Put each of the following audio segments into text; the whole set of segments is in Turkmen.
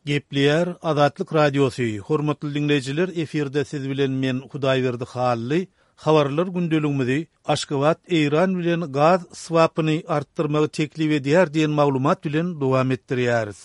Gepleýär Azatlyk Radiosy, Hormatly diňleýjiler efirde siz bilen men Hudaýberdi Hally, habarlar gündeligimizi Aşgabat Eýran bilen gaz swapyny artdyrmagy teklip edýär diýen maglumat bilen dowam etdirýäris.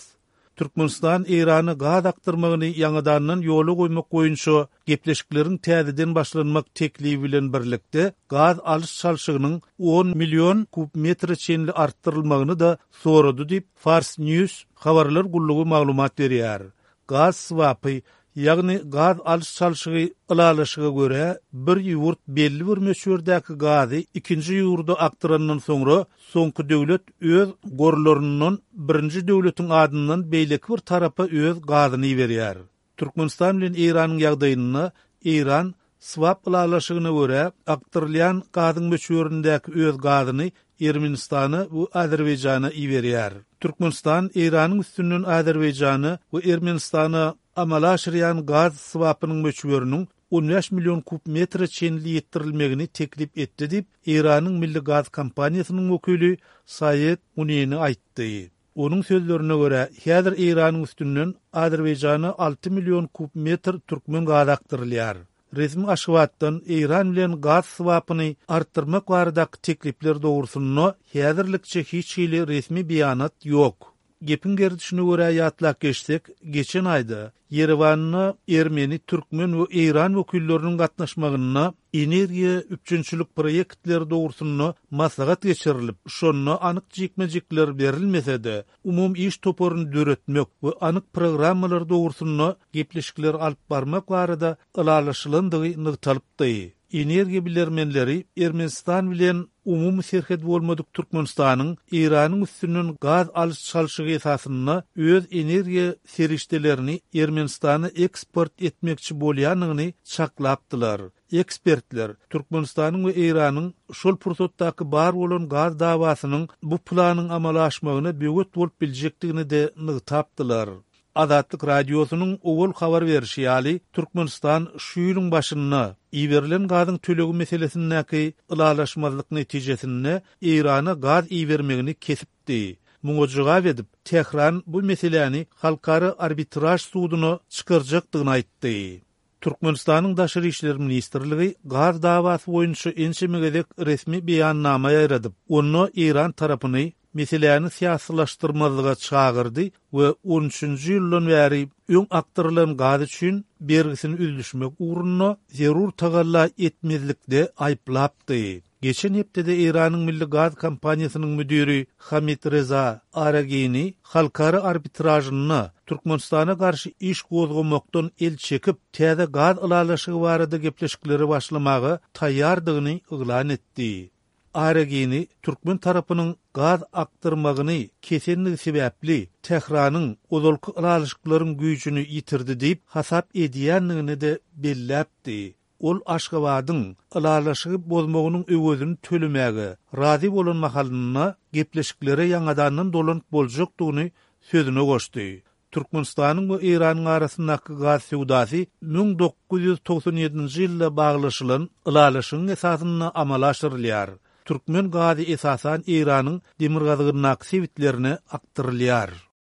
Türkmenistan Eýrana gaz akdyrmagyny ýaňadandan ýola goýmak boýunça gepleşikleriň täzeden başlanmak teklibi bilen birlikde gaz alyş-çalşygynyň on million kub metre çenli artdyrylmagyny-da sorady diýip, Fars News habarlar gullugy maglumat berýär. Gaz swapy, ýagny gaz alyş-çalşygy ylalaşyga görä, bir ýurt belli bir möçberdäki gazy ikinji ýurda akdyrandan soňra, soňky döwlet öz gorlaryndan birinji döwletiň adyndan beýleki bir tarapa öz gazyny iberýär. Türkmenistan bilen Eýranyň ýagdaýynda Eýran swap ylalaşygyna görä akdyrylýan gazyň möçberindäki öz gazyny Ermenistana we Azerbaýjana iberýär. Türkmenistan Eýranyň üstünden Azerbaýjana we Ermenistana amala aşyrýan gaz swapynyň möçberiniň 15 million kub metre çenli ýetdirilmegini teklip etdi diýip, Eýranyň milli gaz kompaniýasynyň wekili Saýed Muneni aýtdy. Onuň sözlerine görä, häzir Eýranyň üstünden Azerbaýjana 6 million kub metr türkmen gazy akdyrylýar. Resmi Aşgabatdan Eýran bilen gaz swapyny artdyrmak baradaky teklipler dogrusynda häzirlikçe hiç hili resmi beýanat ýok. Gepiň gerdişine görä ýatlap geçsek, geçen aýda Ýerewanda ermeni, türkmen we eýran wekilleriniň gatnaşmagynda energiýa üpjünçilik proýektleri dogrusynda maslahat geçirilip, şonda anyk jikme-jikler berilmese-de, umumy iş toparyny döretmek we anyk programmalar dogrusynda gepleşikleri alyp barmak barada ylalaşylandygy nygtalypdy. Energiýa bilermenleri Ermenistan bilen umumy serhedi bolmadyk Türkmenistanyň Eýranyň üstünden gaz alyş-çalşygy esasynda öz energiýa serişdelerini Ermenistana eksport etmekçi bolýandygyny çaklapdylar. Ekspertler Türkmenistanyň we Eýranyň şol pursatdaky bar bolan gaz dawasynyň bu planyň amala aşmagyna böwet bolup biljekdigini-de nygtapdylar. Azatlyk Radiosynyň owal habar berşi ýaly, Türkmenistan şu ýylyň başynda iberilen gazyň tölegi meselesindäki ylalaşmazlyk netijesinde Eýrana gaz ibermegini kesipdi. Muňa jogap edip, Tähran bu meseläni halkara arbitraž suduna çykarjakdygyny aýtdy. Türkmenistanyň Daşary işler ministrligi gaz dawasy boýunça ençeme gezek resmi beýannama ýaýradyp, onda eýran tarapyny meseläni syýasylaşdyrmazlyga çagyrdy we on üçünji ýyldan bäri öň akdyrylan gaz üçin bergisini üzlüşmek ugrunda zerur tagalla etmezlikde aýyplapdy. Geçen hepdede Eýranyň milli gaz kompaniýasynyň müdiri Hamid Reza Aragini halkara arbitražynda Türkmenistana garşy iş gozgamakdan el çekip, täze gaz ylalaşygy barada gepleşiklere başlamaga taýýardygyny yglan etdi. Aragini türkmen tarapynyň gaz akdyrmagyny kesenligi sebäpli Tähranyň ozalky ylalaşyklaryň güýjüni ýitirdi diýip hasap edýändigini-de belläpdi. Ol Aşgabadyň ylalaşygy bozmagynyň öwezini tölemäge razy bolan mahalynda gepleşiklere ýaňadandan dolanyp boljakdygyny sözüne goşdy. Türkmenistanyň we Eýranyň arasyndaky gaz söwdasy 1997-nji ýylda baglaşylan ylalaşygyň esasynda amala aşyrylýar. Türkmen gazy esasan Eýranyň demirgazygyndaky sebitlerine akdyrylýar.